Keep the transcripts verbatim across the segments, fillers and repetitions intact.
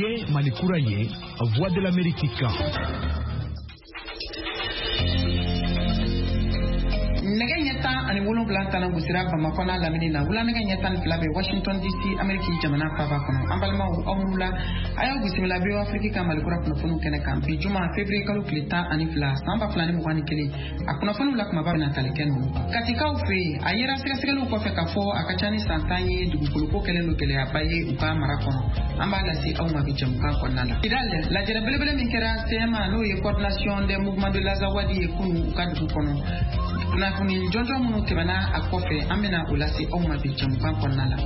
Ye Mali kura ye, Voix de l'Amérique kan. Nɛgɛ ɲɛ tan ani wolonwula tana gosira Bamakɔ n'a lamini na, wula nɛgɛ ɲɛ tan ni fila bɛ Washington D C, Ameriki jamana faaba kɔnɔ. An balimaw, aw ni wula, a y'aw bisimila V O A Afrique ka Mali kura kunnafoniw kɛnɛ kan bi juma février kalo tile tan ani fila san ba fila ni mugan ni kelen. A kunnafoniw la kumaba bɛna tali kɛ ninnu. Katikaw fɛ yen, a yera sɛgɛsɛgɛliw kɔfɛ k'a fɔ a ka ca ni san tan ye dugukoloko kɛlen don gɛlɛyaba ye u ka mara kɔnɔ. An b'a lase aw ma bi jɛmukan kɔnɔna la. Kidal, lajɛrɛ belebele min kɛra C M A, n'o ye Coordination des mouvements de l'Azawad ye kunu u ka dugu kɔnɔ, kunnafoni jɔnjɔn minnu tɛmɛna a kɔfɛ, an bɛna o lase aw ma bi jɛmukan kɔnɔna la.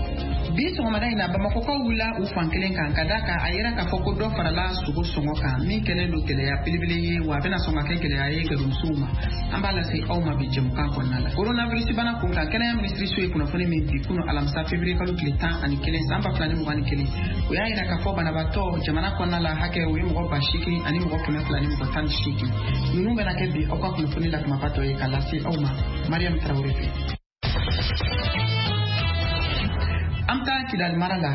Bi sɔgɔmada in na, Bamakɔkaw wulila u fan kelen kan ka da kan a yera k'a fɔ ko dɔ farala sogo sɔngɔ kan, min kɛlen don gɛlɛya belebele ye, wa a bɛna sɔn ka kɛ gɛlɛya ye gɛrɛmusow ma. An b'a lase aw ma bi jɛmukan kɔnɔna la. Coronavirus bana kun kan, kɛnɛya minisiriso ye kunnafoni min bi kunu alamisa février kalo tile tan ani kelen san ba fila ni mugan ni kelen, o y'a yira k'a fɔ banabaatɔ jamana kɔnɔna la hakɛ, o ye mɔgɔ ba seegin ani mɔgɔ kɛmɛ fila ni mɔgɔ tan ni seegin. Ninnu bɛna kɛ bi aw ka kunnafoni la kumaba dɔ ye ka lase aw ma Mariam Traoré fɛ. An bɛ taa Kidali mara la.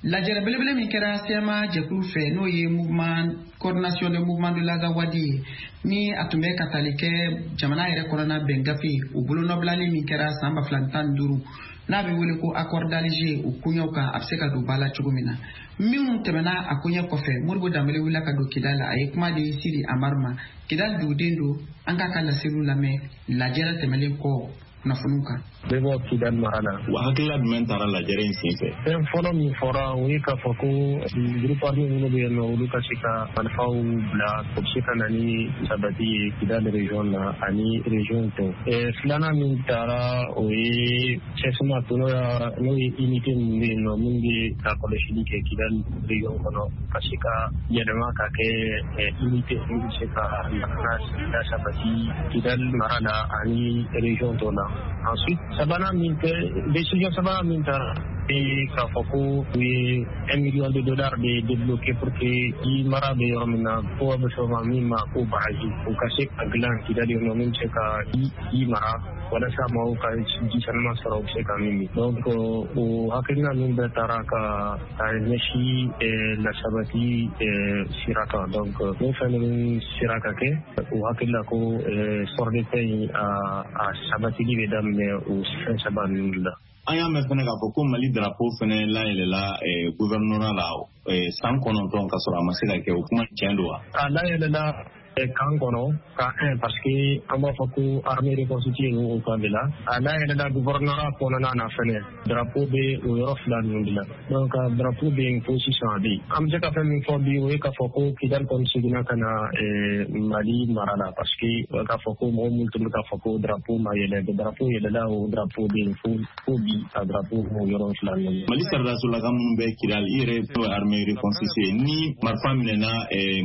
Lajɛrɛ belebele min kɛra C M A jɛkulu fɛ, n'o ye mouvement Coordination des mouvements de l'Azawad ye, ni a tun bɛ ka tali kɛ jamana yɛrɛ kɔnɔna bɛn gafe o bolonɔbilali min kɛra san ba fila ni tan ni duuru, n'a bɛ wele ko Accord d'Alger, o koɲɛw kan, a bɛ se ka don ba la cogo min na, minnu tɛmɛna a koɲɛ kɔfɛ. Modibo Danbele wulila ka don Kidali, a ye kuma di Sidi Amar ma, Kidali duguden don. An k'a ka laseliw lamɛn lajɛrɛ tɛmɛlen kɔ kunnafoniw kan. Bɛ bɔ Kidali mara la. Wa hakilila jumɛn taara lajɛrɛ in senfɛ? Fɛn fɔlɔ min fɔra, o ye k'a fɔ ko groupe armé minnu bɛ yen nɔ, olu ka se ka marifaw bila, o bɛ se ka na ni sabati ye Kidali région na ani région tɔw. Filanan min taara, o ye C S M A to, n'o ye unité min bɛ yen nɔ, min bɛ ka kɔlɔsili kɛ Kidali région kɔnɔ, ka se ka yɛlɛma ka kɛ unité min bɛ se ka lakana la sabati Kidali mara la ani région tɔw la. Ensuite, sabanan min kɛ, décision sabanan min taara, k'a fɔ ko u ye un million de dollars de débloqué pour que i mara bɛ yɔrɔ min na, ko a bɛ fɔ ma min ma ko barrage, u ka se ka dilan Kidali kɔnɔ min bɛ se ka i mara walasa maaw ka ji sanuman sɔrɔ, u bɛ se ka min min. Donc o hakilina ninnu bɛɛ taara ka ka ɲɛsin lasabati sira kan. Donc n'o fɛn ninnu sera ka kɛ, u hakili la ko sɔrɔ de paix in, a a sabatili bɛ daminɛ o fɛn saba ninnu la. An y'a mɛn fɛnɛ k'a fɔ ko Mali drapeau fɛnɛ layɛlɛla gouvernorat la san kɔnɔntɔn ka sɔrɔ a ma se ka kɛ. O kuma tiɲɛ don wa? A layɛlɛla camp kɔnɔ, camp un, parce que an b'a fɔ ko armée reconstituée o camp de la. A layɛlɛla gouvernorat kɔnɔna na fɛnɛ, drapeau bɛ o yɔrɔ fila ninnu de la. Donc drapeau bɛ yen fo sisan, a bɛ yen. An bɛ se ka fɛn min fɔ bi, o ye k'a fɔ ko Kidali kɔni seginna ka na Mali mara la, parce que k'a fɔ ko mɔgɔ minnu tun bɛ k'a fɔ ko drapeau ma yɛlɛ, drapeau yɛlɛla, o drapeau bɛ yen fo fo bi, a drapeau o yɔrɔ fila ninnu. Mali sɔrɔdasolaka minnu bɛ Kidali, i yɛrɛ ye armée reconstituée, ni marifa minɛna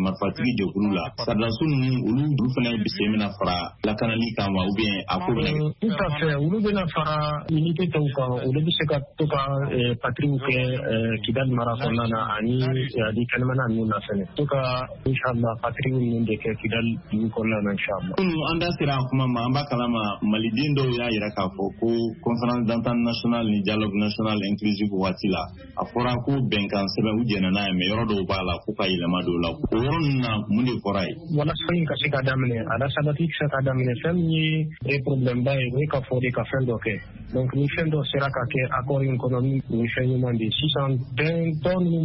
marifatigi jɛkulu la, sɔrɔdaso ninnu, olu olu fana sen bɛna fara lakanali kan wa, ou bien a ko bɛna? Tout à fait, olu bɛna fara unité tɔw kan, olu bɛ se ka to ka patrouille kɛ Kidali mara kɔnɔna na ani ani kɛnɛmana ninnu na fɛnɛ, to ka inchallah patrouille ninnu de kɛ Kidali dugu kɔnɔna na, inchallah. Kunun an da sera a kuma ma, an b'a kalama maliden dɔw y'a yira k'a fɔ ko Conférence d'entente nationale ni dialogue national inclusif waati la, a fɔra ko bɛnkan sɛbɛn, u jɛnna n'a ye, mais yɔrɔ dɔw b'a la fo ka yɛlɛma don la. O yɔrɔ ninnu na, mun de fɔra ye? Walasa in ka se ka daminɛ, a la sabati se ka daminɛ, fɛn min ye problème ba ye, o ye ka fɔ de ka fɛn dɔ kɛ. Donc ni fɛn dɔ sera ka kɛ accord in kɔnɔ, min o ye fɛn ɲuman de ye. Sisan bɛn tɔ ninnu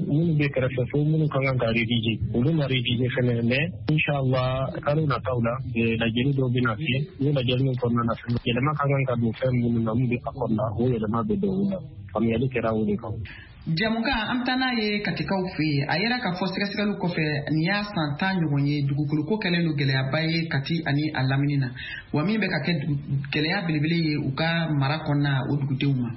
minnu bɛ kɛrɛfɛ fo minnu ka kan ka réviser, olu ma réviser fɛnɛ. Mais inchallah, kalo nataw la, lajɛli dɔw bɛna kɛ. N'o lajɛli min kɔnɔna na fɛnɛ, yɛlɛma ka kan ka don fɛn minnu na min bɛ accord la, o yɛlɛma bɛ don o la. Faamuyali kɛra o de kan. Jamukan, an bɛ taa n'a ye Katikaw fɛ yen. A yera k'a fɔ sɛgɛsɛgɛliw kɔfɛ, nin y'a san tan ɲɔgɔn ye dugukoloko kɛlen don gɛlɛyaba ye Kati ani a lamini na, wa min bɛ ka kɛ gɛlɛya belebele ye u ka mara kɔnɔna o dugudenw ma.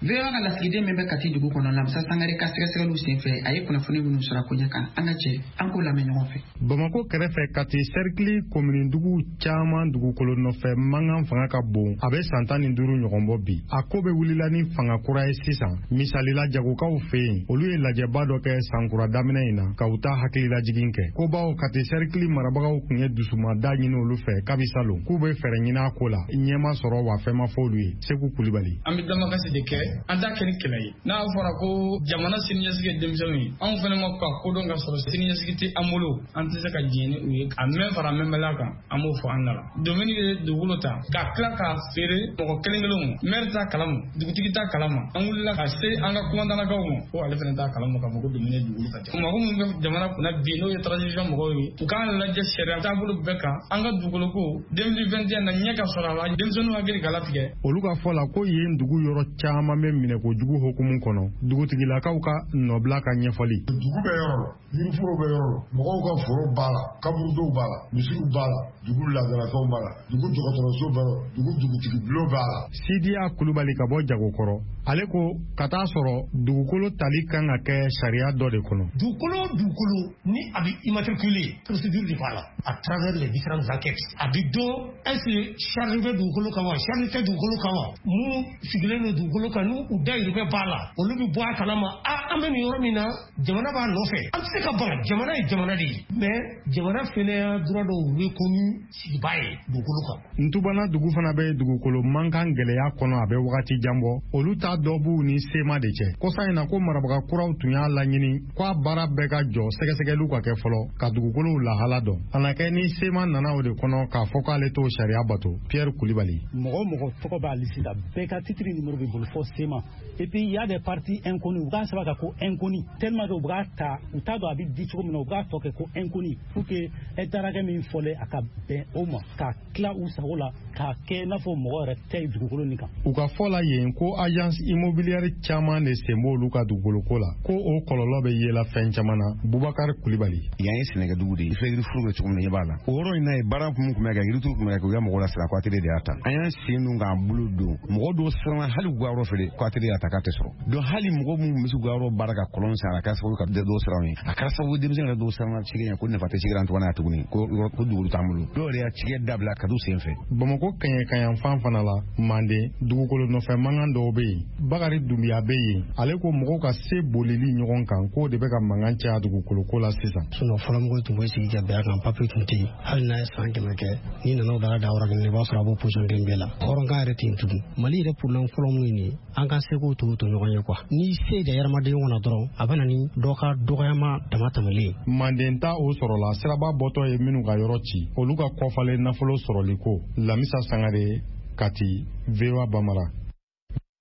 V O A ka lasigiden min bɛ Kati dugu kɔnɔ, Lamisa Sangare ka sɛgɛsɛgɛliw senfɛ, a ye kunnafoni minnu sɔrɔ a koɲɛ kan, an ka jɛ an k'o lamɛn ɲɔgɔn fɛ. Bamako kɛrɛfɛ, Kati sɛrikili komini dugu caman, dugukolo nɔfɛ mankan fanga ka bon, a bɛ san tan ni duuru ɲɔgɔn bɔ bi. A ko bɛ wulila ni fanga kura ye sisan. Misalila, jagokaw fɛ yen, olu ye lajɛba dɔ kɛ sankura daminɛ in na ka u ta hakililajigin kɛ ko bawo Kati sɛrikili marabagaw tun ye dusumada ɲini olu fɛ kabi salon k'u bɛ fɛɛrɛ ɲini a ko la, ɲɛma sɔrɔ wa fɛn ma fɔ olu ye. Segu Kulibali. An bɛ damakasi de kɛ. An t'a kɛ ni kɛlɛ ye. N'a fɔra ko jamana siniɲɛsigi ye denmisɛnninw ye, anw fana ma ka kodɔn ka sɔrɔ siniɲɛsigi tɛ an bolo, an tɛ se ka diɲɛ ni u ye. A mɛn fara mɛnbaliya kan, an b'o fɔ an da la. Domaine ye dugukolo ta ka tila k'a feere mɔgɔ kelen kelenw ma. Maire t'a kalama, dugutigi t'a kalama. An wulila ka se an ka kumandannakaw ma ko ale fana t'a kalama k'a fɔ ko domaine ye dugukolo ta. Mɔgɔ minnu bɛ jamana kunna bi, n'o ye transition mɔgɔw ye, u k'an lajɛ sariya taabolo bɛɛ kan. An ka dugukolo ko deux mille vingt et un na ɲɛ ka sɔrɔ a la, denmisɛnninw hakili ka latigɛ. Olu ka fɔ la ko yen dugu yɔrɔ caman bɛ minɛkojugu hukumu kɔnɔ, dugutigilakaw ka nɔbila ka ɲɛfɔli. Dugu bɛ yɔrɔ la, yiriforo bɛ yɔrɔ la, mɔgɔw ka foro b'a la, kaburudow b'a la, misiw b'a la, dugu laadalafɛnw b'a la, dugu dɔgɔtɔrɔso b'a la, dugu dugutigi bulon b'a la. Sidiya Kulubali ka bɔ Jagokɔrɔ, ale ko ka taa sɔrɔ dugukolo tali kan ka kɛ sariya dɔ de kɔnɔ. Dugukolo o dugukolo ni a bɛ immatriculé, procédure de b'a la à travers les différentes enquêtes. A bɛ dɔn est-ce que charge bɛ dugukolo kan wa, charge tɛ dugukolo kan wa, mun sigilen don dugukolo kan, n'u u dayirimɛ b'a la, olu bɛ bɔ a kalama. A an bɛ nin yɔrɔ min na, jamana b'a nɔfɛ, an tɛ se ka ban. Jamana ye jamana de ye, mais jamana fɛnɛ y'a droit dɔw reconnu sigibaa ye dugukolo kan. Ntubana dugu fana bɛ dugukolo mankan gɛlɛya kɔnɔ, a bɛ wagati jan bɔ. Olu ta dɔ b'u ni SEMA de cɛ. Kɔsa in na ko marabaga kuraw tun y'a laɲini ko a baara bɛɛ ka jɔ, sɛgɛsɛgɛliw ka kɛ fɔlɔ ka dugukolow lahala dɔn. A na kɛ ni SEMA nana o de kɔnɔ k'a fɔ k'ale t'o sariya bato. Pierre Kulibali. Mɔgɔ mɔgɔ tɔgɔ b'a liste la, bɛɛ ka titre numéro b'i bolo fɔ SEMA. Et puis il y a des parties inconnues, u k'a sɛbɛn ka ko inconnu, tellement que u b'a ta, u t'a dɔn a bɛ di cogo min na, u b'a tɔ kɛ ko inconnu pour que hectare hakɛ min fɔlen a ka bɛn o ma, ka tila u sago la, k'a kɛ i n'a fɔ mɔgɔ yɛrɛ tɛ dugukolo nin kan. U ka fɔ la yen ko agence immobilière caman de sen b'olu ka dugukoloko la, ko o kɔlɔlɔ bɛ yela fɛn caman na. Bubakari Kulibali. Yan ye sɛnɛkɛdugu de ye, i filɛ yiriforo bɛ cogo min na, i b'a la. O yɔrɔ in na ye baara kun tun bɛ kɛ, yirituru tun bɛ kɛ, u ka mɔgɔw lasira ko A T T de y'a ta. An y'an sen don k'an bolo don, mɔgɔ dɔw siranna hali k'u ka yɔrɔ feere ko A T T y'a ta k'a tɛ sɔrɔ. Donc hali mɔgɔ minnu bɛ se k'u ka yɔrɔ baara ka kɔlɔn san, a kɛra sababu ka dɔw siran ye. A kɛra sababu denmisɛnnin yɛrɛ dɔw siranna cikɛ ɲɛ ko nafa tɛ cikɛ la tuguni tuguni ko ko dugukolo t'an bolo. Dɔw yɛrɛ y'a cikɛ dabila ka t'u sen fɛ. Bamakɔ kɛɲɛkayanfan fana la, Manden dugukolo nɔfɛ mankan dɔw bɛ yen. Bakari Dunbiya bɛ yen, ale ko mɔgɔw ka se bolili ɲɔgɔn kan k'o de bɛ ka mankan caya dugukolo ko la sisan. Sinon fɔlɔmɔgɔw tun bɛ sigi ka bɛn a kan, papiye tun tɛ yen. Hali n'a ye san kɛmɛ kɛ, n'i nana o dara da yɔrɔ kelen, i b'a sɔrɔ a b'o position kelen bɛɛ la. Hɔrɔnkan yɛrɛ tɛ yen tugun. Mali yɛrɛ problème fɔlɔ mun ye nin ye, an ka seko to to ɲɔgɔn ye quoi. N'i se da hadamaden ɲɔgɔn na dɔrɔn, a bɛ na ni dɔ ka dɔgɔyama dama tɛmɛlen ye. Manden ta o sɔrɔla siraba bɔtɔ ye minnu ka yɔrɔ ci, olu ka kɔfalen nafolo sɔrɔli ko. Lamisa Sangare, Kati, V O A Bamara.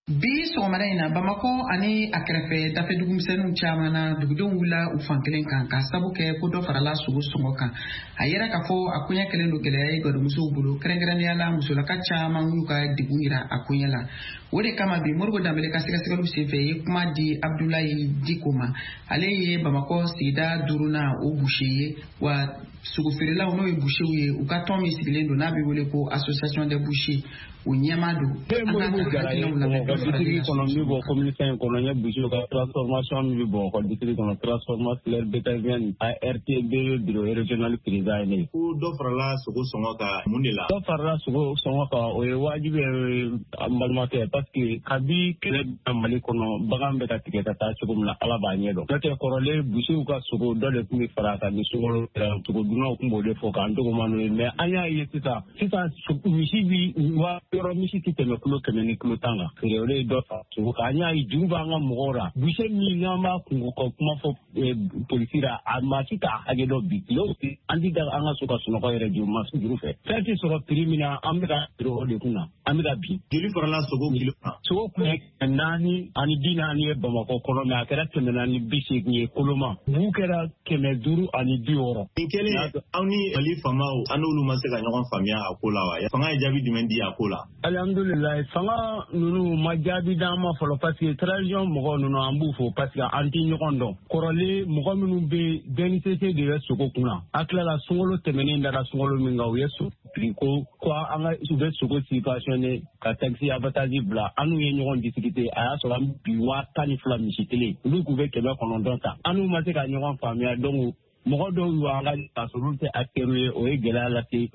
Bi sɔgɔmada in na, Bamakɔ ani a kɛrɛfɛ dafɛ dugumisɛnninw caman na, dugudenw wulila u fan kelen kan k'a sabu kɛ ko dɔ farala sogo sɔngɔ kan. A yera k'a fɔ a koɲɛ kɛlen don gɛlɛya ye garimusow bolo, kɛrɛnkɛrɛnnenya la musolaka caman y'u ka degun yira a koɲɛ la. O de kama bi Moribo Danbele ka sɛgɛsɛgɛliw senfɛ ye kuma di Abdulayi Diko ma. Ale ye Bamakɔ sigida duurunan o boucher ye, wa sogofeerelaw n'o ye boucherw ye, u ka tɔn min sigilen don n'a bɛ wele ko association des bouchers, o ɲɛmaa don. An ka hakilinaw lamɛn. District kɔnɔ min bɔ commune cinq kɔnɔ, n ye boucher ka transformation min bɛ Bamakɔ district kɔnɔ, transformation bétaillère A R T B bureau régional président ye ne ye. Ko dɔ farala sogo sɔngɔ kan mun de la? Dɔ farala sogo sɔngɔ kan, o ye wajibi ye an balimakɛ, parce que kabi kɛlɛ bɛ Mali kɔnɔ, bagan bɛ ka tigɛ ka taa cogo min na, Ala b'a ɲɛ dɔn. N'o tɛ kɔrɔlen boucherw ka sogo dɔ de tun bɛ fara a kan ni sukaro kɛra, sogo dunnaw tun b'o de fɔ k'an tɔgɔ ma n'o ye, mais an y'a ye sisan sisan misi bi wa yɔrɔ misi tɛ tɛmɛ kilo kɛmɛ ni kilo tan kan. Feere o de ye dɔ fara sogo kan. An y'a ye juru b'an ka mɔgɔw la, boucher min n'an b'a kungo kɔ kuma fɔ polisi la, a maa si t'a hakɛ dɔn bi. Tile o tile an ti da an ka so ka sunɔgɔ yɛrɛ juru ma juru fɛ. Fɛn tɛ sɔrɔ prix min na, an bɛ ka feere o de kun na, an bɛ ka bin. Joli farala sogo kilo kan? Sogo kun ye kɛmɛ naani ani bi naani ye Bamakɔ kɔnɔ, mais a kɛra kɛmɛ naani bi seegin ye koloma. Bu kɛra kɛmɛ duuru ani bi wɔɔrɔ. Nin kɛlen aw ni Mali faamaw, an n'olu ma se ka ɲɔgɔn faamuya a ko la wa? Fanga ye jaabi jumɛn di a ko la? Alhamdulilayi, fanga ninnu ma jaabi d'an ma fɔlɔ, parce que transition mɔgɔ ninnu an b'u fo, parce que an tɛ ɲɔgɔn dɔn. Kɔrɔlen mɔgɔ minnu bɛ D N C C de bɛ sogo kunna, a tilala sunkalo tɛmɛnen dara sunkalo min kan, u ye sogo prix ko ko an ka u bɛ sogo subventionné ka taxe abattage bila, an n'u ye ɲɔgɔn discuter, a y'a sɔrɔ an bi waa tan ni fila misi kelen, olu k'u bɛ kɛmɛ kɔnɔntɔn ta, an n'u ma se ka ɲɔgɔn faamuya. Donc mɔgɔ dɔw y'an ka ka sɔrɔ olu tɛ acteurs ye, o ye gɛlɛya lase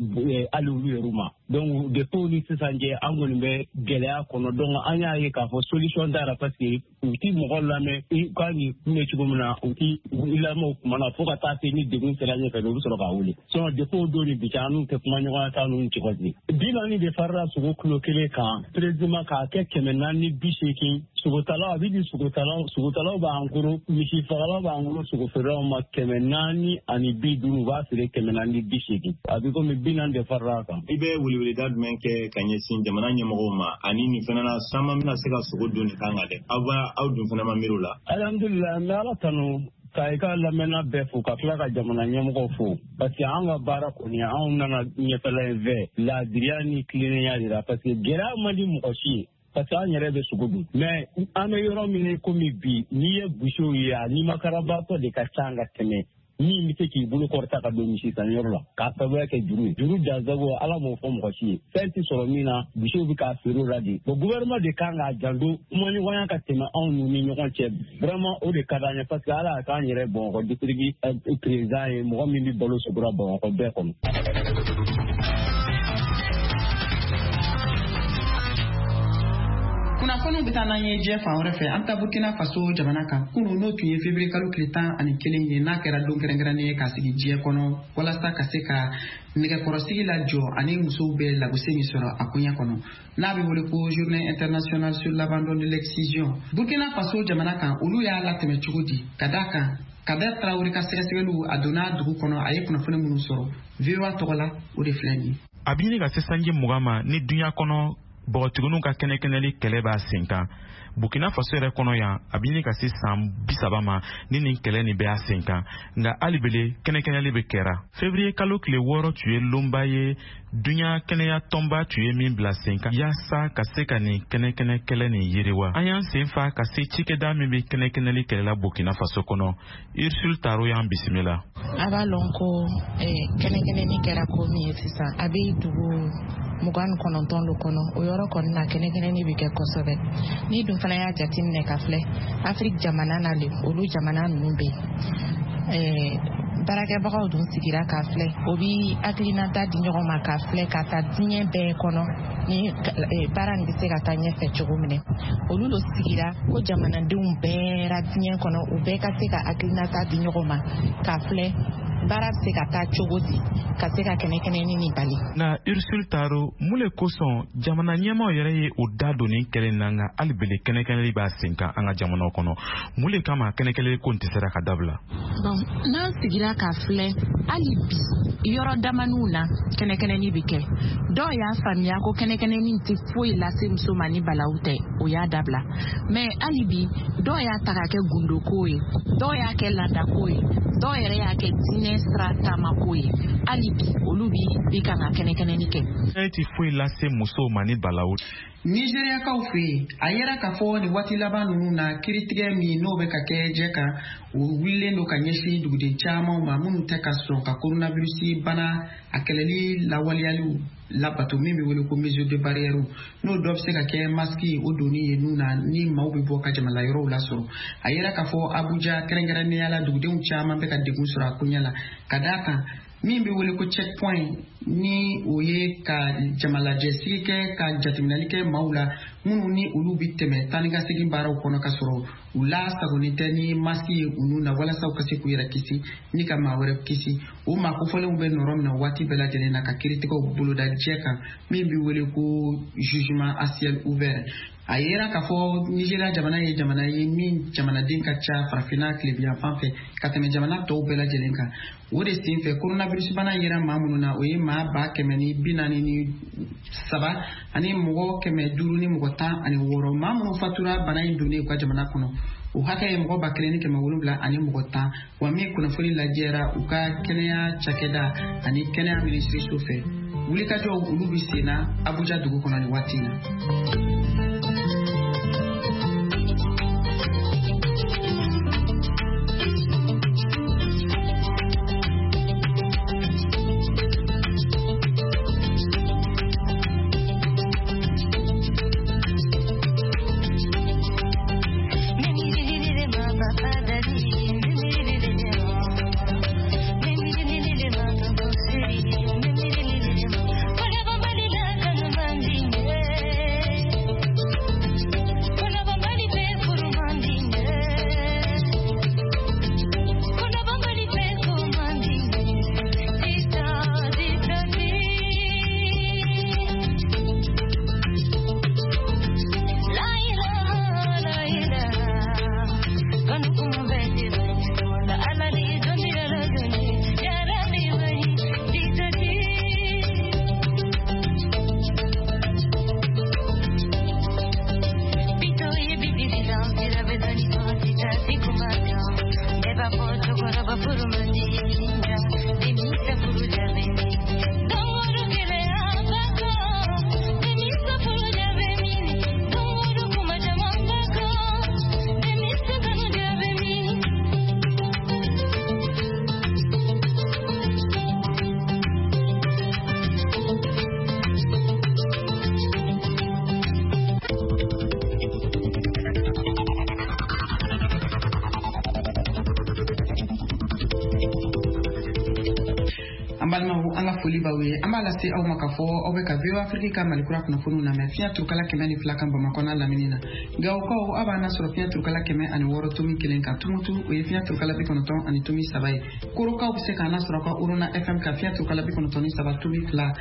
hali olu yɛrɛ ma. Donc depuis o ni sisan cɛ, an kɔni bɛ gɛlɛya kɔnɔ. Donc an y'a ye k'a fɔ solution t'a la, parce que u ti mɔgɔ lamɛn i ka nin kun bɛ cogo min na, u ti i lamɛn o kuma na fo ka taa se ni degun sera ɲɛfɛ, u bɛ sɔrɔ k'a wele. Sinon depuis o don ni bi cɛ, an n'u tɛ kuma ɲɔgɔnya t'an n'u cɛ. Bi naani de farala sogo kilo kelen kan président k'a kɛ kɛmɛ naani bi seegin Sogotalaw a bɛ di sogotalaw, sogotalaw b'an kɔrɔ, misi fagalaw b'an kɔrɔ, sogofeerelaw ma kɛmɛ naani ani bi duuru, u b'a feere kɛmɛ naani bi seegin. A bɛ komi bi naani de farala a kan. I bɛ weleweleda jumɛn kɛ ka ɲɛsin jamana ɲɛmɔgɔw ma ani nin fana na caman bɛna se ka sogo dun nin kan kan dɛ, aw b'a aw dun fana ma miiri o la? Alhamdulilayi, n bɛ Ala tanu ka i ka lamɛnna bɛɛ fo ka tila ka jamana ɲɛmɔgɔw fo, parce que an ka baara kɔni anw nana ɲɛfɛla in fɛ laadiriya ni tilennenya de la, parce que gɛlɛya man di mɔgɔ si ye, parce que an yɛrɛ bɛ sogo dun. Mais an bɛ yɔrɔ min komi bi, n'i ye busew ye a nimakarabaatɔ de ka ca ka tɛmɛ min bɛ se k'i bolo kɔrɔta ka don misi sanyɔrɔ la k'a sababuya kɛ juru ye. Juru dansago Ala m'o fɔ mɔgɔ si ye, fɛn tɛ sɔrɔ min na, misiw bɛ k'a feere o la de. Bon, gouvernement de kan k'a janto kumaɲɔgɔnya ka tɛmɛ anw ni ɲɔgɔn cɛ, vraiment o de ka d'an ye, parce que Ala y'a k'an yɛrɛ Bamakɔ district président ye, mɔgɔ min bɛ balo sogora Bamakɔ bɛɛ kɔnɔ. Kunnafoniw bɛ taa n'an ye diɲɛ fan wɛrɛ fɛ. An bɛ taa Burkina Faso jamana kan. Kunun n'o tun ye février kalo tile tan ani kelen ye, n'a kɛra don kɛrɛnkɛrɛnnen ye k'a sigi diɲɛ kɔnɔ walasa ka se ka nɛgɛkɔrɔsigi lajɔ ani musow bɛ lagosi min sɔrɔ a koɲɛ kɔnɔ, n'a bɛ wele ko journée internationale sur l'abandon de l'excision. Burkina Faso jamana kan, olu y'a latɛmɛ cogo di? Ka d'a kan Kader Traoré ka sɛgɛsɛgɛliw a donna dugu kɔnɔ, a ye kunnafoni minnu sɔrɔ V O A tɔgɔ la, o de filɛ nin ye. A bɛ ɲini ka se sanji mugan ma ni duɲa kɔnɔ bɔgɔtigininw ka kɛnɛkɛnɛli kɛlɛ b'a sen kan. Burkina Faso yɛrɛ kɔnɔ yan, a bɛ ɲini ka se san bi saba ma ni nin kɛlɛ nin bɛ a sen kan, nka hali bele kɛnɛkɛnɛli bɛ kɛra. Février kalo tile wɔɔrɔ tun ye lonba ye duɲa kɛnɛya tɔnba tun ye min bila sen kan yaasa ka se ka nin kɛnɛkɛnɛ kɛlɛ nin yiriwa. An y'an sen fa ka se cikɛda min bɛ kɛnɛkɛnɛli kɛlɛ la Burkina Faso kɔnɔ. Ursule Taro y'an bisimila. A b'a lɔn ko kɛnɛkɛnɛni kɛra ko min ye sisan, a bɛ dugu mugan ni kɔnɔntɔn lo kɔnɔ, o yɔrɔ kɔni na kɛnɛkɛnɛni bɛ kɛ kosɛbɛ. Ni dun fana y'a jateminɛ ka filɛ Afiriki jamana na le, olu jamana ninnu bɛ yen. Baarakɛbagaw dun sigira k'a filɛ, o bi hakilinata di ɲɔgɔn ma k'a filɛ ka taa diɲɛ bɛɛ kɔnɔ ni baara nin bɛ se ka taa ɲɛfɛ cogo min na. Olu lo sigira ko jamanadenw bɛɛ ra diɲɛ kɔnɔ, u bɛɛ ka se ka hakilinata di ɲɔgɔn ma k'a filɛ baara bɛ se ka taa cogo di ka se ka kɛnɛkɛnɛni nin bali. Nka Ursule Taro, mun le kosɔn jamana ɲɛmaaw yɛrɛ ye o da don nin kɛlɛ in na, nka hali bele kɛnɛkɛnɛli b'a sen kan an ka jamanaw kɔnɔ? Mun le kama kɛnɛkɛnɛli ko in tɛ sera ka dabila? Bon, n'an sigira k'a filɛ hali bi yɔrɔ damaniw na kɛnɛkɛnɛni bɛ kɛ. Dɔw y'a faamuya ko kɛnɛkɛnɛni tɛ foyi lase muso ma ni balawu tɛ, o y'a dabila. Mais hali bi dɔw y'a ta k'a kɛ gundoko ye, dɔw y'a kɛ laadako ye, dɔw yɛrɛ y'a kɛ diinɛ sira taamako ye. Hali bi olu bi bi kan ka kɛnɛkɛnɛni kɛ. E ti foyi lase musow ma ni balawu. Nigériakaw fɛ yen, a yera k'a fɔ nin waati laban ninnu na kiiritigɛ min n'o bɛ ka kɛ jɛ kan, o wulilen don ka ɲɛsin duguden caman ma minnu tɛ ka sɔn ka coronavirus bana a kɛlɛli lawaleyaliw labato min bɛ wele ko mesure de barrière, n'o dɔ bɛ se ka kɛ masque o donni ye nun na ni maaw bɛ bɔ ka jamana yɔrɔw lasɔrɔ. A yera k'a fɔ Abuja kɛrɛnkɛrɛnnenya la dugudenw caman bɛ ka degun sɔrɔ a koɲɛ la, ka d'a kan min bɛ wele ko checkpoint ni o ye ka jamalajɛsigi kɛ ka jateminɛli kɛ maaw la minnu ni olu bɛ tɛmɛ taa ni ka segin baaraw kɔnɔ ka sɔrɔ u lasagonnen tɛ ni masque ye u nun na walasa u ka se k'u yɛrɛ kisi ni ka maa wɛrɛ kisi. O maa kofɔlenw bɛ nɔrɔ min na waati bɛɛ lajɛlen na ka kiiritigɛw boloda jɛ kan min bɛ wele ko jugement à ciel ouvert. A yera k'a fɔ Nigéria jamana ye jamana ye min jamanaden ka ca farafinna tilebinyanfan fɛ ka tɛmɛ jamana tɔw bɛɛ lajɛlen kan. O de senfɛ coronavirus bana yera maa minnu na, o ye maa ba kɛmɛ ni bi naani ni saba ani mɔgɔ kɛmɛ duuru ni mɔgɔ tan ani wɔɔrɔ. Maa minnu fatura bana in donnen u ka jamana kɔnɔ, o hakɛ ye mɔgɔ ba kelen ni kɛmɛ wolonwula ani mɔgɔ tan. Wa min kunnafoni lajɛra u ka kɛnɛya cakɛda ani kɛnɛya minisiriso fɛ. Wulikajɔw olu bɛ sen na Abuja dugu kɔnɔ nin waati in na. Yeah. fɔ cɛkɔrɔba furu man di nka denmisɛn furu ja bɛ min don o don gɛlɛya b'a kan denmisɛn furu ja bɛ min don o don kuma caman b'a kan denmisɛn kanu ja bɛ min. An balimaw, an ka foli b'aw ye. An b'a lase aw ma k'a fɔ aw bɛ ka V O A Afrique ka Malikura kunnafoniw lamɛn fiɲɛ turukala kɛmɛ ni fila kan Bamakɔ n'a lamini na. Gawokaw, aw b'an lasɔrɔ fiɲɛ turukala kɛmɛ ani wɔɔrɔ tomi kelen kan. Tumutu, o ye fiɲɛ turukala bi kɔnɔntɔn ani tomi saba ye. Korokaw bɛ se k'an lasɔrɔ ka Orona F M ka fiɲɛ turukala bi kɔnɔntɔn ni saba tomi fila.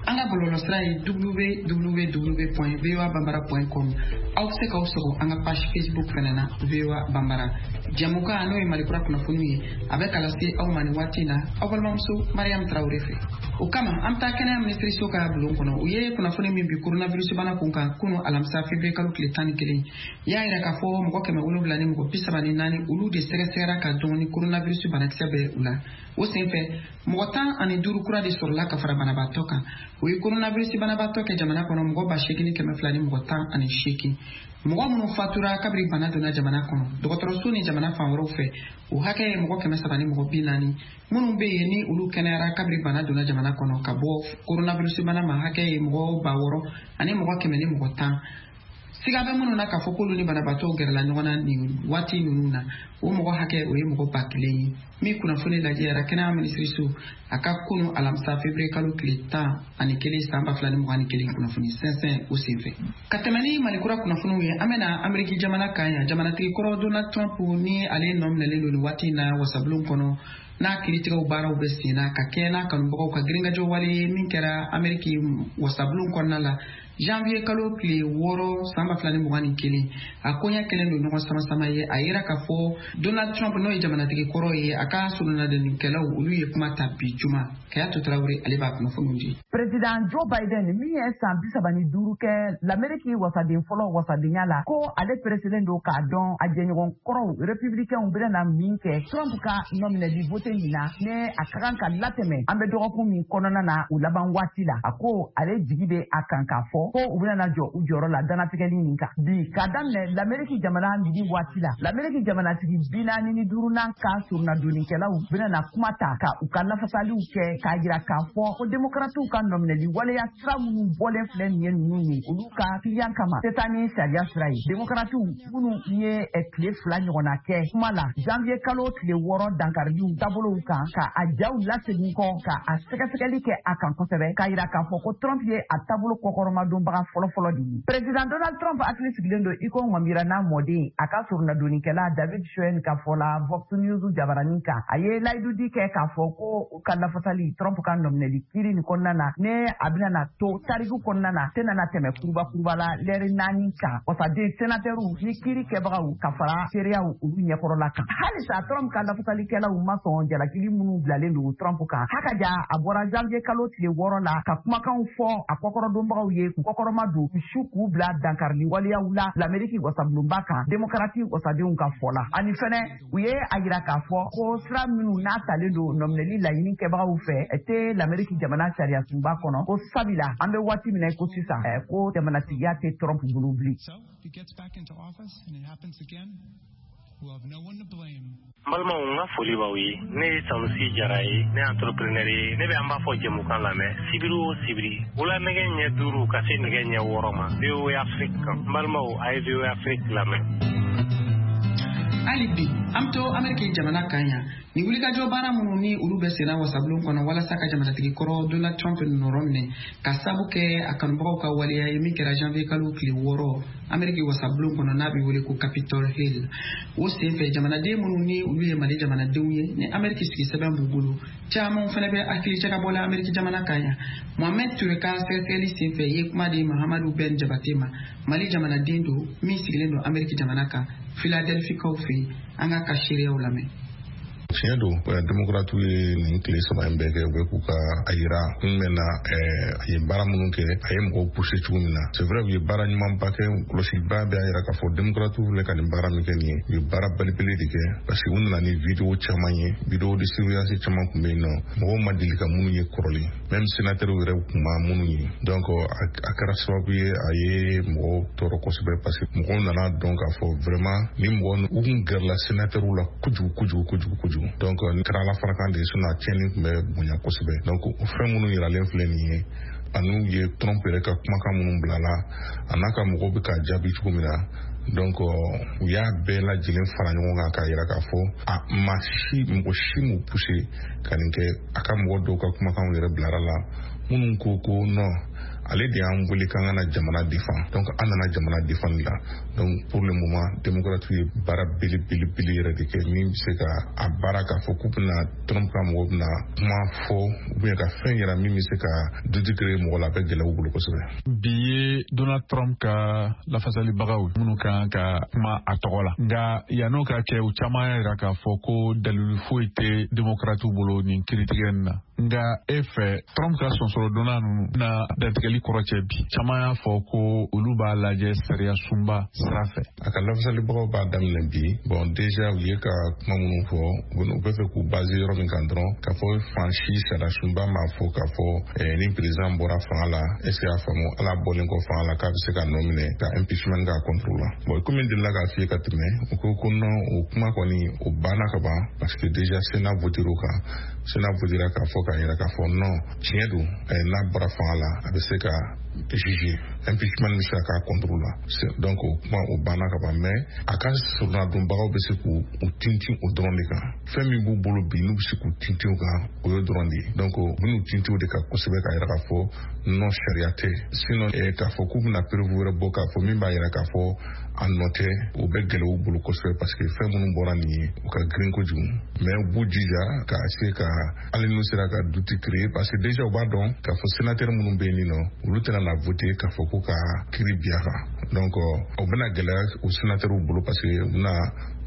An ka bɔlɔlɔsira ye w w w point voa bambara point com. Aw bɛ se k'aw sɔgɔ an ka page Facebook fɛnɛ na, V O A Bambara. Jɛmukan n'o ye Malikura kunnafoniw ye, a bɛ ka lase aw ma nin waati in na aw balimamuso Mariam Traoré fɛ. O kama, an bɛ taa kɛnɛya minisiriso ka bulon kɔnɔ. U ye kunnafoni min bi coronavirus bana kun kan kunu alamisa février kalo tile tan ni kelen, y'a yira k'a fɔ mɔgɔ kɛmɛ wolonwula ni mɔgɔ bi saba ni naani, olu de sɛgɛsɛgɛra ka dɔn ni coronavirus banakisɛ bɛ u la. O senfɛ, mɔgɔ tan ani duuru kura de sɔrɔla ka fara banabaatɔ kan. O ye coronavirus banabaatɔ kɛ jamana kɔnɔ mɔgɔ ba seegin ni kɛmɛ fila ni mɔgɔ tan ani seegin. Mɔgɔ minnu fatura kabiri bana donna jamana kɔnɔ dɔgɔtɔrɔso ni jamana fan wɛrɛw fɛ, o hakɛ ye mɔgɔ kɛmɛ saba ni mɔgɔ bi naani. Minnu bɛ yen ni olu kɛnɛyara kabiri bana donna jamana kɔnɔ ka bɔ coronavirus bana ma, hakɛ ye mɔgɔ ba wɔɔrɔ ani mɔgɔ kɛmɛ ni mɔgɔ tan. Siga bɛ minnu na k'a fɔ k'olu ni banabaatɔw gɛrɛla ɲɔgɔn na nin waati ninnu na, o mɔgɔ hakɛ, o ye mɔgɔ ba kelen ye. Min kunnafoni lajɛyara kɛnɛya minisiriso a ka kunu alamisa février kalo tile tan ani kelen san ba fila ni mugan ni kelen kunnafoni sɛnsɛn o senfɛ. Ka tɛmɛ ni Malikura kunnafoniw ye, an bɛna Ameriki jamana kan yan. Jamanatigi kɔrɔ Donald Trump ni ale nɔ minɛlen don nin waati in na wasabulon kɔnɔ, n'a kiiritigɛw baaraw bɛ sen na ka kɛɲɛ n'a kanubagaw ka girinkajɔ wale ye min kɛra Ameriki wasabulon kɔnɔna la janvier kalo tile wɔɔrɔ san ba fila ni mugan ni kelen, a koɲɛ kɛlen don ɲɔgɔn sama-sama ye. A yira k'a fɔ Donald Trump, n'o ye jamanatigi kɔrɔ ye, a ka soronadonnikɛlaw, olu ye kuma ta bi juma. Kayatu Tarawele, ale b'a kunnafoniw di. Président Joe Biden min ye san bi saba ni duuru kɛ Lameriki wasaden fɔlɔ wasadenya la, ko ale pereselen don k'a dɔn a jɛɲɔgɔn kɔrɔw républicainw bɛna min kɛ Trump ka nɔminɛli vote in na, ne a ka kan ka latɛmɛ an bɛ dɔgɔkun min kɔnɔna na, u laban waati la. A ko ale jigi bɛ a kan k'a fɔ ko u bɛna jɔ u jɔyɔrɔ la dannatigɛli nin kan. Bi k'a daminɛ Lameriki jamana midi waati la, Lameriki jamanatigi bi naani ni duurunan ka soronadonnikɛlaw bɛna kuma ta ka u ka lafasaliw kɛ k'a jira k'a fɔ ko démocratiw ka nɔminɛli waleya sira minnu bɔlen filɛ nin ye ninnu ye, olu ka kiliyan kama tɛ taa ni sariya sira ye. Démocratiw minnu ye tile fila ɲɔgɔnna kɛ kuma la janvier kalo tile wɔɔrɔ dankariliw taabolow kan, ka a jaw lasegin kɔ ka a sɛgɛsɛgɛli kɛ a kan kosɛbɛ, k'a jira k'a fɔ ko Trump ye a taabolo kɔkɔrɔmadonbaga fɔlɔfɔlɔ de ye. Président Donald Trump hakili sigilen don i ko ŋɔmira n'a mɔden, a ka soronadonnikɛla David Schoen ka fɔ la Vox News jabaranin kan. A ye layidudi kɛ k'a fɔ ko u ka lafasali Trump ka nɔminɛli kiiri nin kɔnɔna na, ne a bɛna na to tariku kɔnɔna na, tɛna na tɛmɛ kuruba kuruba la lɛri naani kan wasaden senatɛriw ni kiiri kɛbagaw ka fara seereyaw olu ɲɛkɔrɔla kan. Halisa Trump ka lafasalikɛlaw ma sɔn jalakili minnu bilalen don Trump kan. Hakaja a bɔra janvier kalo tile wɔɔrɔ la ka kumakanw fɔ a kɔkɔrɔdonbagaw ye k'u kɔkɔrɔma don k'u su k'u bila dankarili waleyaw la Lameriki wasabulonba kan, démocrati wasadenw ka fɔ la. Ani fɛnɛ u ye a yira k'a fɔ ko sira minnu n'a talen don nɔminɛli laɲini kɛbagaw fɛ tɛ Lameriki jamana sariya sunba kɔnɔ, ko sabila an bɛ waati min na i ko sisan, ko jamanatigiya tɛ Trump bolo bilen. N balimaw, n ka foli b'aw ye. Ne ye Sanusi Jara ye, ne ye entrepreneur ye. Ne bɛ an b'a fɔ jɛmukan lamɛn sibiri o sibiri wula nɛgɛ ɲɛ duuru ka se nɛgɛ ɲɛ wɔɔrɔ ma V O A Afrique kan. N balimaw, a ye V O A Afrique lamɛn. Hali bi an bɛ to Ameriki jamana kan yan. Nin wulikajɔ baara minnu ni olu bɛ senna wasabulon kɔnɔ walasa ka jamanatigi kɔrɔ Donald Trump nɔrɔ minɛ ka sabu kɛ a kanubagaw ka waleya ye min kɛra janvier kalo tile wɔɔrɔ Ameriki wasabulon kɔnɔ, n'a bɛ wele ko Capitol Hill, o senfɛ jamanaden minnu ni olu ye Mali jamanadenw ye ni Ameriki sigi sɛbɛn b'u bolo, caman fana bɛ hakili jagabɔ la Ameriki jamana kan yan. Mohamed Ture ka sɛgɛsɛgɛli senfɛ ye kuma di Mahamadu Ben Jabate ma, Mali jamanaden don min sigilen don Ameriki jamana kan, Philadelphie kaw fɛ yen. An k'a ka seereyaw lamɛn. Tiɲɛ don, démocrates ye nin tile saba in bɛɛ kɛ, u bɛ k'u ka a yira kun bɛ na, a ye baara minnu kɛ, a ye mɔgɔw pousser cogo min na. C'est vrai, u ye baara ɲumanba kɛ. Kɔlɔsiba bɛ y'a yira k'a fɔ démocrates filɛ ka nin baara min kɛ nin ye, u ye baara belebele de kɛ, parce que u nana ni vidéo caman ye, vidéo de surveillance caman tun bɛ yen nɔ, mɔgɔw ma deli ka minnu ye kɔrɔlen, même sénateur yɛrɛ tun ma minnu ye. Donc a kɛra sababu ye a ye mɔgɔw tɔɔrɔ kosɛbɛ, parce que mɔgɔw nana dɔn k'a fɔ vraiment ni mɔgɔ u kun gɛrɛla sénateur la kojugu kojugu kojugu kojugu. Donc ni kɛra ala farakan de ye, sinon a tiɲɛni tun bɛ bonya kosɛbɛ. Donc o fɛn minnu yiralen filɛ nin ye, ani ye Trump yɛrɛ ka kumakan minnu bilala, a n'a ka mɔgɔw bɛ k'a jaabi cogo min na, donc u y'a bɛɛ lajɛlen fara ɲɔgɔn kan k'a yira k'a fɔ a maa si, mɔgɔ si m'u pousser ka nin kɛ. A ka mɔgɔ dɔw ka kumakanw yɛrɛ bilara la, minnu ko ko non, ale de y'an wele k'an ka na jamana défend, donc an nana jamana défendre la. Donc pour le moment, démocrate ye baara belebelebele yɛrɛ de kɛ min bɛ se ka a baara k'a fɔ k'u bɛna Trump ka mɔgɔw bɛna kuma fɔ ou bien ka fɛn yira min bɛ se ka doute créer mɔgɔ la, a bɛ gɛlɛya u bolo kosɛbɛ. Bi ye Donald Trump ka lafasalibagaw minnu kan ka kuma a tɔgɔ la, nka yann'o ka kɛ, u caman y'a yira k'a fɔ ko dalilu foyi tɛ démocratew bolo nin kiiritigɛ nin na. Nka e fɛ, Trump ka sɔnsɔrɔdonna ninnu na dantigɛli kɔrɔ cɛ bi, caman y'a fɔ ko olu b'a lajɛ sariya sunba sira fɛ. A ka lafasalibagaw b'a daminɛ bi. Bon, déjà u ye ka kuma minnu fɔ, u bɛ fɛ k'u baser yɔrɔ min kan dɔrɔn, k'a fɔ fan si sariya sunba m'a fɔ k'a fɔ ni président bɔra fanga la, est ce que y'a faamu, ala bɔlen kɔ fanga la, k'a bɛ se ka nɔ minɛ ka impeachment k'a contre la. Bon, komi n delila k'a f'i ye ka tɛmɛ, u ko ko non, o kuma kɔni o banna ka ban, parce que déjà Sénat voté o kan. Sénat votera k'a fɔ k'a yira k'a fɔ non, tiɲɛ don, n'a bɔra fanga la, a bɛ se ka juger, impeachment bɛ se ka k'a contre la. Donc o kuma o banna ka ban, mais a ka sɔrɔnadonbagaw bɛ se k'u tintin o dɔrɔn de kan. Fɛn min b'u bolo bi n'u bɛ se k'u tintin o kan, o y'o dɔrɔn de ye. Donc u bɛn'u tintin o de kan kosɛbɛ k'a yira k'a fɔ non, sariya tɛ. Sinon k'a fɔ k'u bɛna preuve wɛrɛ bɔ k'a fɔ min b'a yira k'a fɔ a nɔ tɛ, o bɛ gɛlɛya u bolo kosɛbɛ, parce que fɛn minnu bɔra nin ye, u ka girin kojugu. Mais u b'u jija ka se ka hali n'u sera ka doute créer, parce que déjà u b'a dɔn k'a fɔ sénateur minnu bɛ yen nɔ, olu tɛna na voter k'a fɔ ko ka kiiri bi a kan. Donc o bɛna gɛlɛya o sénateur bolo, parce que u bɛna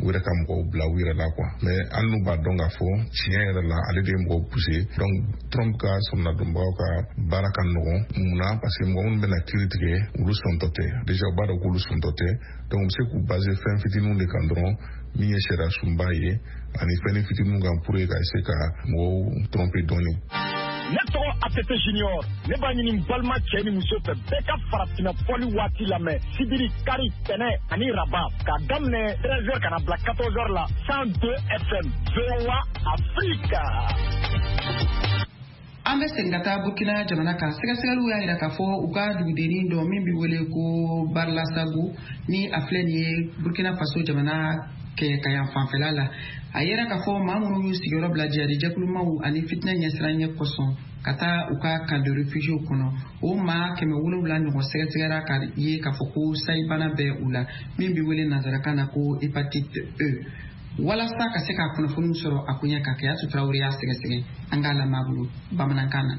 u yɛrɛ ka mɔgɔw bila u yɛrɛ la quoi. Mais hali n'u b'a dɔn k'a fɔ tiɲɛ yɛrɛ la ale de ye mɔgɔw pousser, donc Trump ka sɔrɔnadonbagaw ka baara ka nɔgɔn. Munna? Parce que mɔgɔ minnu bɛna kiiri tigɛ, olu sɔntɔ tɛ. Déjà u b'a dɔn k'olu sɔntɔ tɛ, donc u bɛ se k'u baser fɛn fitininw de kan dɔrɔn, min ye sariya sunba ye ani fɛnnin fitininw kan, pour que ka se ka mɔgɔw tromper dɔɔni. Ne tɔgɔ A T T Junior, ne b'a ɲini n balima cɛ ni muso fɛ, bɛɛ ka farafinna fɔli waati lamɛn sibiri, kari, tɛnɛ ani raba, k'a daminɛ treize heures ka na bila quatorze heures la, cent deux F M, V O A Afrique. An bɛ segin ka taa Burkina jamana kan. Sɛgɛsɛgɛliw y'a jira k'a fɔ u ka dugudennin dɔ min bɛ wele ko Barlasago, ni a filɛ nin ye Burkina Faso jamana kɛɲɛka fanfɛla la, a yera k'a fɔ maa minnu y'u sigiyɔrɔ bila jihadijɛkulumaw ani fitinɛ ɲɛsiranɲɛ kosɔn ka taa u ka camp de réfugiés kɔnɔ, o maa kɛmɛ wolonwula ɲɔgɔn sɛgɛsɛgɛra ka ye k'a fɔ ko sayibana bɛ u la, min bɛ wele nanzarakan na ko hépatite E. Walasa ka se ka kunnafoniw sɔrɔ a koɲɛ kan, Kayatu Tarawele y'a sɛgɛsɛgɛ, an k'a lamɛn a bolo bamanankan na.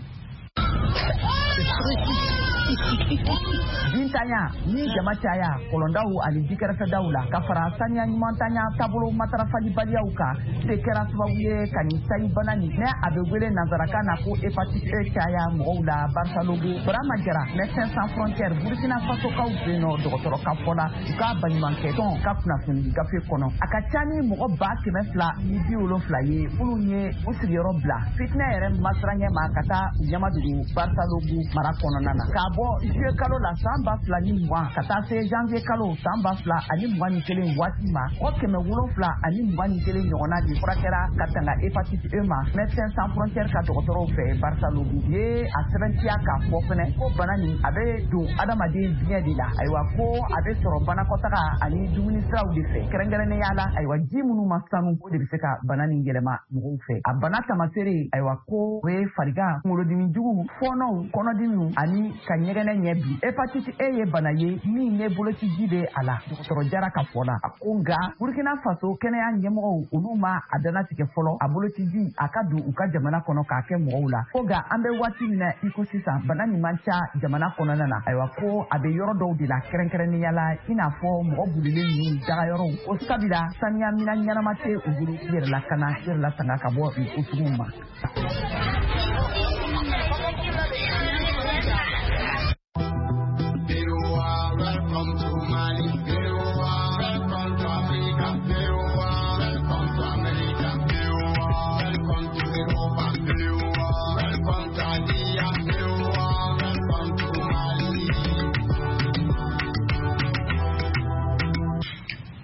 Jintanya ni jama caya kɔlɔndaw ani jikɛrɛfɛdaw la, ka fara saniya ɲumantanya taabolo matarafalibaliyaw kan, de kɛra sababu ye ka nin sayibana nin, ne a bɛ wele nanzarakan na ko hépatite E, caya mɔgɔw la Barsalogho. Burama Jara, Médecins Sans Frontières Burkina Fasokaw fɛ yen nɔ, dɔgɔtɔrɔ ka fɔ la, u ka baɲumankɛ tɔn ka kunnafoni gafe kɔnɔ, a ka ca ni mɔgɔ ba kɛmɛ fila ni bi wolonfila ye minnu ye u sigiyɔrɔ bila fitinɛ yɛrɛ masiranɲɛ ma ka taa u ɲɛmadugu Barsalogho mara kɔnɔna na. K'a bɔ juillet kalo la san ba fila ni mugan ka taa se janvier kalo san ba fila ani mugan ni kelen waati ma, mɔgɔ kɛmɛ wolonfila ani mugan ni kelen ɲɔgɔnna de furakɛra ka tanga hépatite E ma Médecins Sans Frontières ka dɔgɔtɔrɔw fɛ Barsalogho. Ye a sɛbɛntiya k'a fɔ fɛnɛ ko bana nin a bɛ don adamaden biɲɛ de la, ayiwa ko a bɛ sɔrɔ banakɔtaga ani dumuni siraw de fɛ, kɛrɛnkɛrɛnnenya la ayiwa ji minnu ma sanu, o de bɛ se ka bana nin yɛlɛma mɔgɔw fɛ. A bana tamaseere, ayiwa ko o ye farigan, kunkolodimi jugu, Fɔɔnɔw, kɔnɔdimiw ani ka ɲɛgɛnɛ ɲɛ bi. Hépatite E ye bana ye min ne bolociji bɛ a la. Dɔgɔtɔrɔ Jara ka fɔ la, a ko nka Burkina Faso kɛnɛya ɲɛmɔgɔw olu ma a dannatigɛ fɔlɔ a bolociji a ka don u ka jamana kɔnɔ k'a kɛ mɔgɔw la. Ko nka an bɛ waati min na i ko sisan, bana nin man ca jamana kɔnɔna na. Ayiwa, ko a bɛ yɔrɔ dɔw de la, kɛrɛnkɛrɛnnenya la i n'a fɔ mɔgɔ bulilen ninnu dagayɔrɔw, ko sabula saniya minɛn ɲɛnama tɛ u bolo i yɛrɛ lakana, i yɛrɛ latanga ka bɔ nin ko suguw ma.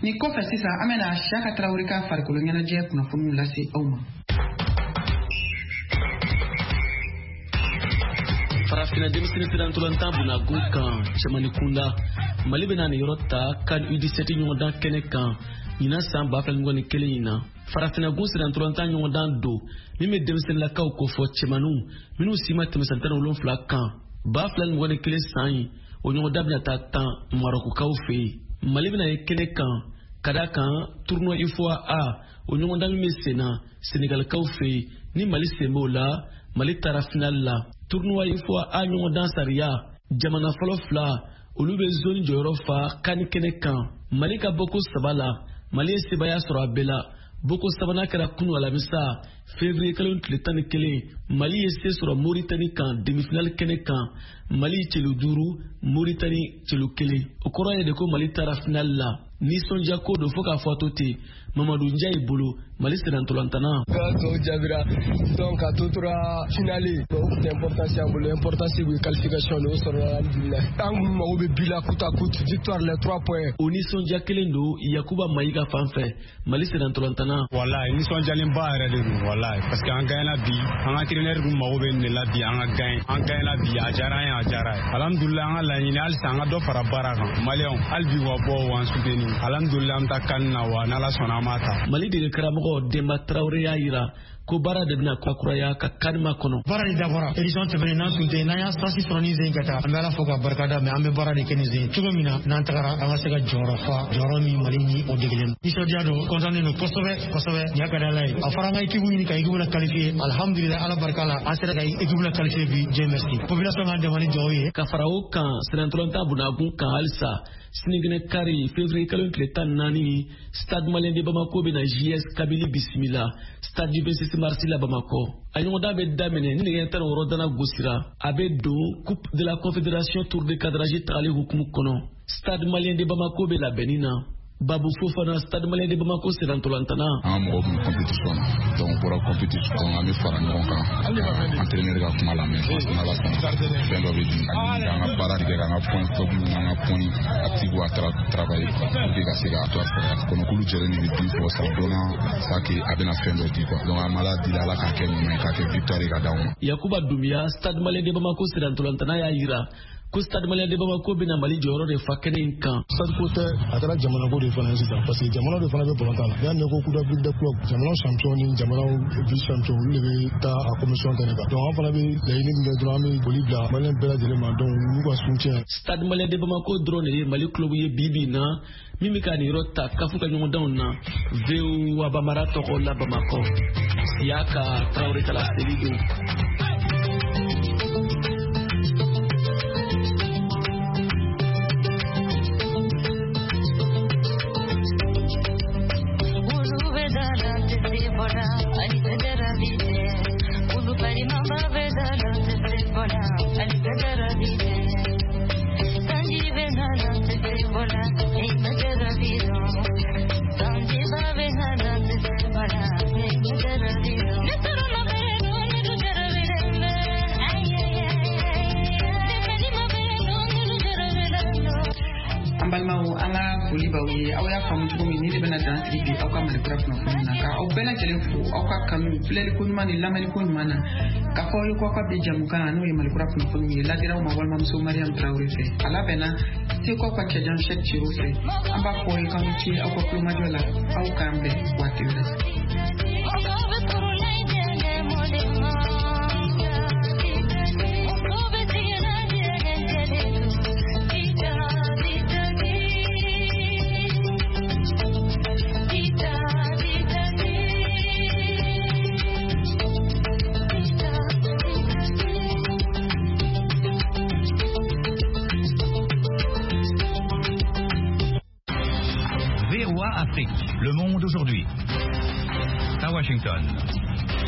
Nin kɔfɛ sisan, an bɛna Siyaka Tarawele ka farikolo ɲɛnajɛ kunnafoniw lase aw ma. Farafinna denmisɛnnin sirantɔlantan bunagun kan cɛmani kunda, Mali bɛna nin yɔrɔ ta CAN U dix-sept ɲɔgɔndan kɛnɛ kan ɲinan san ba fila mugan ni kelen in na. Farafinna gun sirantɔlantan ɲɔgɔndan don min bɛ denmisɛnninlakaw kofɔ, cɛmaninw minnu si ma tɛmɛ san tan ni wolonfila kan. Ba fila ni mugan ni kelen san in, o ɲɔgɔndan bɛna taa tan Marɔkukaw fɛ yen. Mali bɛna ye kɛnɛ kan ka da kan tournoi UFOA A, o ɲɔgɔndan min bɛ sen na Senegalikaw fɛ yen, ni Mali sen b'o la, Mali taara final la. Tournoi UFOA A ɲɔgɔndan sariya, jamana fɔlɔ fila olu bɛ zone jɔyɔrɔ fa CAN kɛnɛ kan. Mali ka bɔko saba la, Mali ye sebaaya sɔrɔ a bɛɛ la. Bɔko sabanan kɛra kunu alamisa février kalo tile tan ni kelen, Mali ye se sɔrɔ Mauritanie kan demi-finale kɛnɛ kan. Mali celu duuru, Mauritanie celu kelen. O kɔrɔ ye de ko Mali taara finale la. Nisɔndiya ko don fo k'a fɔ a to ten Mamadu Njayi bolo, Mali sennantolantana. Ka tɔw jaabira, donc a to tora finale, o tun tɛ importance y'an bolo. Importance kun ye qualification de, o sɔrɔla, alhamdulilayi. An kun mago bɛ but la coûte à coûte, victoire, les trois points. O nisɔndiya kelen don Yakuba Mayiga fan fɛ, Mali sennantolantana. Walayi, nisɔndiyalenba yɛrɛ de don, walayi, parce que an gagnera bi. An ka entraîneur kun mago bɛ nin de la bi, an ka gagne, an gagnera bi, a diyara an ye, a diyara ye, alhamdulilayi. An ka laɲini halisa an ka dɔ fara baara kan. Maliyɛnw hali bi wa bɔ wa an soutenir, alhamdulilayi. An bɛ taa CAN na wa n'Ala sɔnna an b'a ta. Mali dege karamɔgɔ Denba Tarawele y'a yira ko baara de bɛna kurakuraya ka CAN makɔnɔ. Baara de dabɔra édition tɛmɛnen n'an tun tɛ, n'an y'a chance sɔrɔ nin sen ka taa, an bɛ Ala fo ka barika da, mais an bɛ baara de kɛ nin sen cogo min na n'an tagara an ka se ka jɔyɔrɔ fa, jɔyɔrɔ min Mali ni o degelen. Nisɔndiya don, content don kosɛbɛ kosɛbɛ. Nin y'a ka di Ala ye. A fɔra an ka équipe ɲini ka équipe la qualifier, alhamdulilayi, Ala barika la an sera ka équipe la qualifier bi, Dieu merci. Population k'an dɛmɛ ni dugawu ye. Ka fara o kan sennantolatan bunagun kan halisa, sinikɛnɛ kari février kalo tile tan ni naani, Stade Malien de Bamako bɛna J S Kabylie bisimila stade du vingt-six mars la Bamakɔ. A ɲɔgɔndan bɛ daminɛ ni nɛgɛ tan ni wɔɔrɔ dana gosira. A bɛ don Coupe de la Confédération tour de cadrage tagali hukumu kɔnɔ. Stade Malien de Bamako bɛ labɛnni na. Babu Fofana, Stade Malien de Bamako sennantolantana. An ka mɔgɔw tun bɛ compétition na, donc u bɔra compétition, an bɛ fara ɲɔgɔn kan, entraîneur ka kuma lamɛn, parce que n'Ala sɔnna fɛn dɔ bɛ di ani k'an ka baara tigɛ, k'an ka point faible n'an ka point active à travailler pour que ka se ka to a sɔrɔ kɔnɔkulu jɛlen de bɛ bin fɔ sa dɔnna sa que a bɛna fɛn dɔ di quoi. Donc an b'Ala deli, Ala k'a kɛ ɲuman ye, k'a kɛ victoire ye ka d'anw ma. Yakuba Dumbuya, Stade Malien de Bamako sennantolantana y'a yira ko Stade Malien de Bamako bɛna Mali jɔyɔrɔ de fa kɛnɛ in kan. Stade ko tɛ, a kɛra jamana ko de fana ye sisan, parce que jamana de fana bɛ balontan na. N'i y'a mɛn ko Coupe d'Afrique des clubs, jamana champion ni jamana vice champion olu de bɛ taa a compétition kɛnɛ kan. Donc an fana bɛ laɲini min kɛ dɔrɔn, an bɛ foli bila Malien bɛɛ lajɛlen ma, donc n'u ka soutien. Stade Malien de Bamako dɔrɔn de ye Mali club ye bi bi in na min bɛ ka nin yɔrɔ ta CAF ka ɲɔgɔndanw na. V O A Bamara tɔgɔ la Bamakɔ, Siyaka Tarawele ka laseli don. An balimaw, an ka foli b'aw ye. Aw y'a faamu cogo min, ni de bɛna dan sigi bi aw ka Malikura kunnafoni na, ka aw bɛɛ lajɛlen fo aw ka kanu filɛliko ɲuman ni lamɛnliko ɲuman na, k'a fɔ aw ye ko aw ka bi jamukan n'o ye Malikura kunnafoni ye ladiraw ma walimamuso Mariam Tarawele fɛ, a labɛnna Segukaw ka cɛjan Cheick Cero fɛ. An b'a fɔ aw ye k'aw ni ce aw ka kulomajɔ la, aw k'an bɛn waati wɛrɛ. d'aujourd'hui. À Washington.